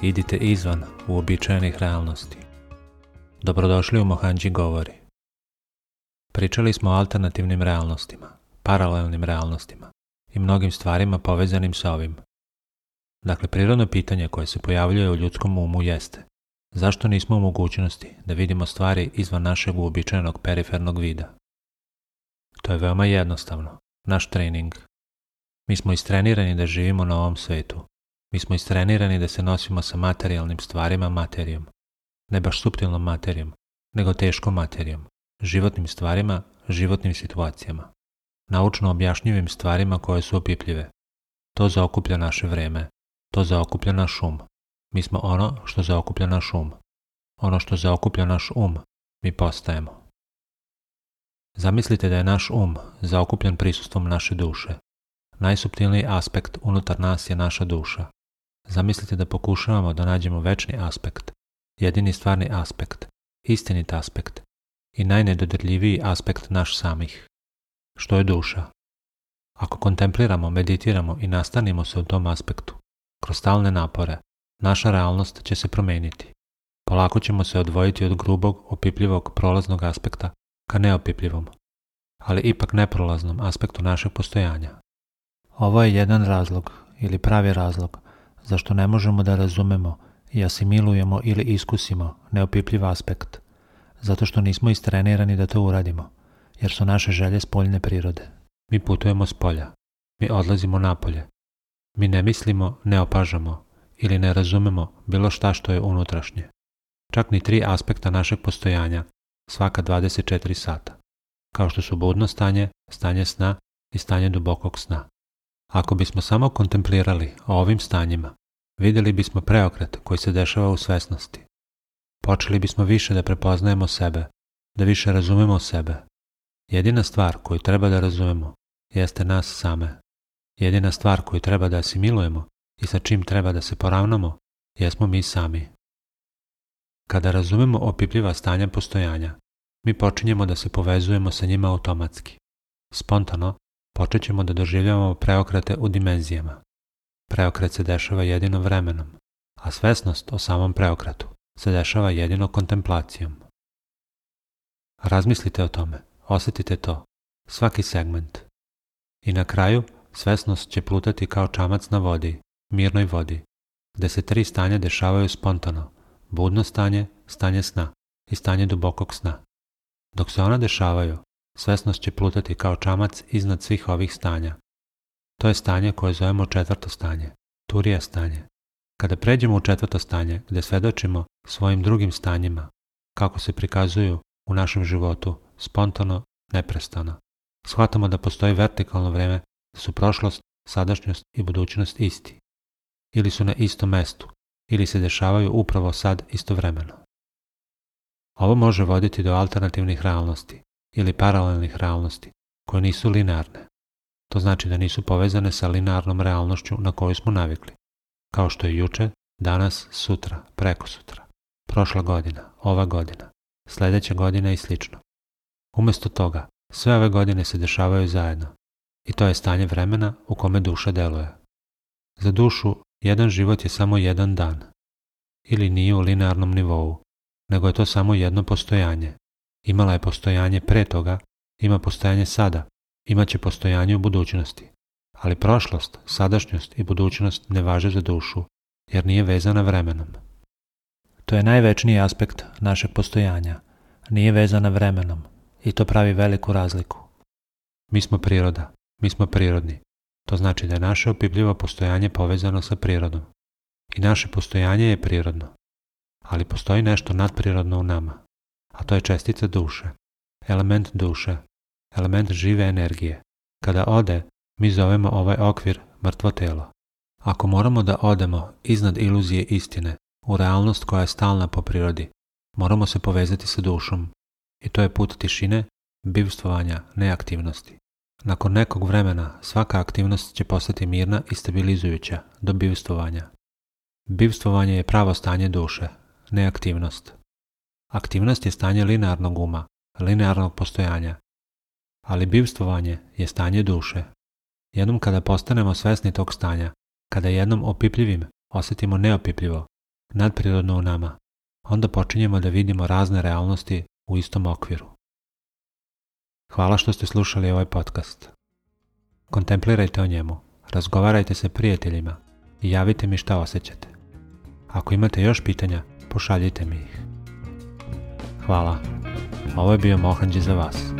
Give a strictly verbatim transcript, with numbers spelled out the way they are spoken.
Idite izvan uobičajenih realnosti. Dobrodošli u Mohanji govori. Pričali smo o alternativnim realnostima, paralelnim realnostima i mnogim stvarima povezanim sa ovim. Dakle, prirodno pitanje koje se pojavljuje u ljudskom umu jeste: zašto nismo u mogućnosti da vidimo stvari izvan našeg uobičajenog perifernog vida? To je veoma jednostavno. Naš trening. Mi smo istrenirani da živimo na ovom svetu. Mi smo istrenirani da se nosimo sa materijalnim stvarima materijom. Ne baš suptilnom materijom, nego teškom materijom. Životnim stvarima, životnim situacijama. Naučno objašnjivim stvarima koje su opipljive. To zaokuplja naše vreme. To zaokuplja naš um. Mi smo ono što zaokuplja naš um. Ono što zaokuplja naš um, mi postajemo. Zamislite da je naš um zaokupljen prisustvom naše duše. Najsuptilniji aspekt unutar nas je naša duša. Zamislite da pokušavamo da nađemo večni aspekt, jedini stvarni aspekt, istinit aspekt i najnedodirljiviji aspekt naš samih. Što je duša? Ako kontempliramo, meditiramo i nastanimo se u tom aspektu, kroz stalne napore, naša realnost će se promeniti. Polako ćemo se odvojiti od grubog, opipljivog, prolaznog aspekta ka neopipljivom, ali ipak neprolaznom aspektu našeg postojanja. Ovo je jedan razlog, ili pravi razlog, zašto ne možemo da razumemo i asimilujemo ili iskusimo neopipljiv aspekt, zato što nismo istrenirani da to uradimo, jer su naše želje spoljne prirode. Mi putujemo s polja, mi odlazimo napolje, mi ne mislimo, ne opažamo ili ne razumemo bilo šta što je unutrašnje. Čak ni tri aspekta našeg postojanja, svaka dvadeset četiri sata, kao što su budno stanje, stanje sna i stanje dubokog sna. Ako bismo samo kontemplirali o ovim stanjima, vidjeli bismo preokret koji se dešava u svesnosti. Počeli bismo više da prepoznajemo sebe, da više razumemo sebe. Jedina stvar koju treba da razumemo jeste nas same. Jedina stvar koju treba da asimilujemo i sa čim treba da se poravnamo jesmo mi sami. Kada razumemo opipljiva stanja postojanja, mi počinjemo da se povezujemo sa njima automatski. Spontano počet ćemo da doživljavamo preokrete u dimenzijama. Preokret se dešava jedino vremenom, a svesnost o samom preokretu se dešava jedino kontemplacijom. Razmislite o tome, osjetite to, svaki segment. I na kraju svesnost će plutati kao čamac na vodi, mirnoj vodi, gde se tri stanja dešavaju spontano: budno stanje, stanje sna i stanje dubokog sna. Dok se ona dešavaju, svesnost će plutati kao čamac iznad svih ovih stanja. To je stanje koje zovemo četvrto stanje, turija stanje. Kada pređemo u četvrto stanje, gde svedočimo svojim drugim stanjima, kako se prikazuju u našem životu, spontano, neprestano, shvatamo da postoji vertikalno vreme, da su prošlost, sadašnjost i budućnost isti. Ili su na istom mestu, ili se dešavaju upravo sad istovremeno. Ovo može voditi do alternativnih realnosti ili paralelnih realnosti, koje nisu linearne. To znači da nisu povezane sa linearnom realnošću na koju smo navikli, kao što je juče, danas, sutra, prekosutra, prošla godina, ova godina, sledeća godina i slično. Umesto toga, sve ove godine se dešavaju zajedno i to je stanje vremena u kome duša deluje. Za dušu, jedan život je samo jedan dan, ili nije u linearnom nivou, nego je to samo jedno postojanje. Imala je postojanje pre toga, ima postojanje sada, imaće postojanje u budućnosti. Ali prošlost, sadašnjost i budućnost ne važe za dušu, jer nije vezana vremenom. To je največniji aspekt našeg postojanja. Nije vezana vremenom i to pravi veliku razliku. Mi smo priroda, mi smo prirodni. To znači da je naše opipljivo postojanje povezano sa prirodom. I naše postojanje je prirodno. Ali postoji nešto nadprirodno u nama, a to je čestica duše, element duše, element žive energije. Kada ode, mi zovemo ovaj okvir mrtvo telo. Ako moramo da odemo iznad iluzije istine, u realnost koja je stalna po prirodi, moramo se povezati sa dušom. I to je put tišine, bivstvovanja, neaktivnosti. Nakon nekog vremena svaka aktivnost će postati mirna i stabilizujuća do bivstvovanja. Bivstvovanje je pravo stanje duše, neaktivnost. Aktivnost je stanje linearnog uma, linearnog postojanja, ali bivstvovanje je stanje duše. Jednom kada postanemo svesni tog stanja, kada jednom opipljivim osjetimo neopipljivo, nadprirodno u nama, onda počinjemo da vidimo razne realnosti u istom okviru. Hvala što ste slušali ovaj podcast. Kontemplirajte o njemu, razgovarajte sa prijateljima i javite mi šta osjećate. Ako imate još pitanja, pošaljite mi ih. Hvala. Ovo je bio Mohanđi za vas.